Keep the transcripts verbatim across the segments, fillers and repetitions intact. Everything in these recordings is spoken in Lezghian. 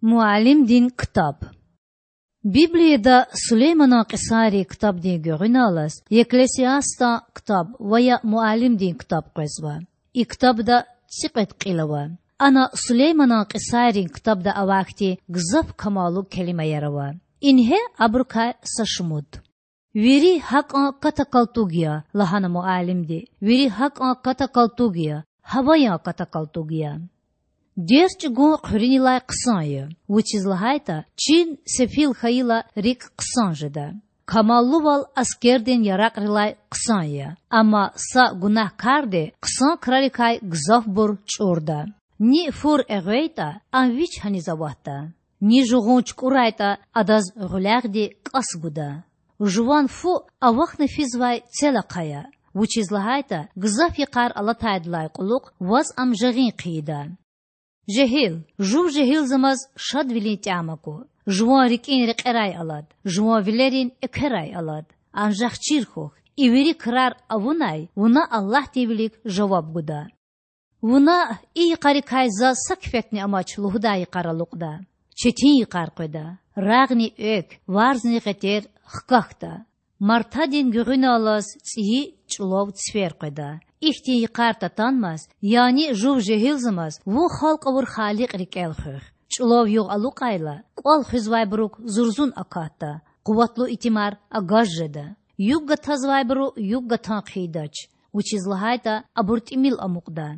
Муаллимдин ктаб. Библияда Сулейманан кьисайрин ктабдин гуьгъуьналлаз Екклесиастан ктаб ва я Муаллимдин ктаб къвезва. И ктабда цӀикьвед кьил ава. Ана Сулейманан кьисайрин ктабда авай хьтин гзаф камаллу келимаяр ава. Ингье абурукай са шумуд: Вири гьакӀан ката-калтуг я,— лагьана Муаллимди,— вири гьакӀан ката-калтуг я, гьаваян ката-калтуг я. Дерт чӀугун хъуьруьнилай хъсан я, вучиз лагьайтӀа чин сефил хьайила рикӀ хъсан жеда. Камаллувал аскердин яракьрилай хъсан я, амма са гунагь карди хъсан крарикай гзафбур чӀурда. Ни фур эгъвейтӀа, ам вич гьаниз аватда? Ни жугъун чукӀурайтӀа, адаз гъуьлягъди кӀас гуда? Жуван фу авахьна физвай цел ахъая, вучиз лагьайтӀа гзаф йикъар алатайдалай кьулухъ ваз ам жагъин хъийида. Жегьил, жув жегьилзамаз шадвилин тӀям аку. Жуван рикӀин рекьерай алад, жуван вилерин экверай алад. Анжах чир хьухь, и вири крар авунай вуна Аллагьдин вилик жаваб гуда. Вуна и йикъарикай заз са кифетни амач лугьудай йикъар алукьда. Четин йикъар къведа, рагъни экв, варзни гъетер хкахьда. Мартадин гуьгъуьналлаз цӀийи чӀулав цифер къведа. Ихьтин йикъар татанмаз, яни жув жегьилзамаз вун халкь авур Халикь рикӀел хуьх. ЧӀулав югъ алукьайла, кӀвал хуьзвайбурук зурзун акатда, къуватлу итимар агаж жеда. Югъ гатазвайбуру югъ гатан хъийидач, вучиз лагьайтӀа абур тӀимил амукьда.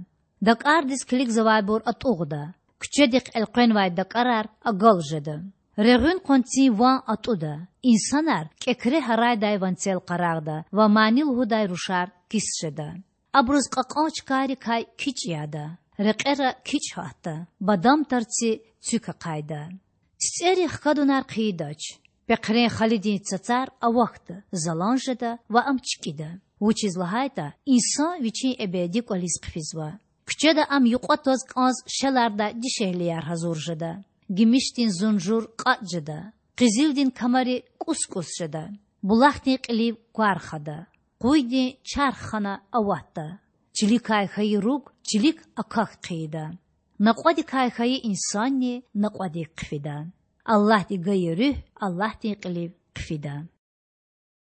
ДакӀардиз килигзавайбур атӀугъда, куьчедихъ элкъвенвай дакӀарар агал жеда. Регъуьн къванцин ван атӀуда, инсанар кӀекре гьарайдай ванцел къарагъда ва мани лугьудай рушар кис жеда. Абуруз кьакьан чкайрикай кичӀ яда, рекьера кичӀ гьатда, бадам тарци цуьк ахъайда. ЦицӀери хкадунар хъийидач, пехърен халидин цацар авахьда, залан жеда ва ам чкӀида, вучиз лагьайтӀа инсан вичин эбеди кӀвализ хъфизва. Куьчеда ам юкьва тваз кӀанз шелардай дишегьлияр гьазур жеда. Гимишдин зунжур кьатӀ жеда, къизилдин камари кӀус-кӀус жеда. Булахдин кьилив квар хада, къуйдин чарх хана аватда. Чиликай хьайи руг чилик акахь хъийида. Накьвадикай хьайи инсанни накьвадик хъфида. Аллагьди гайи руьгь Аллагьдин кьилив хъфида.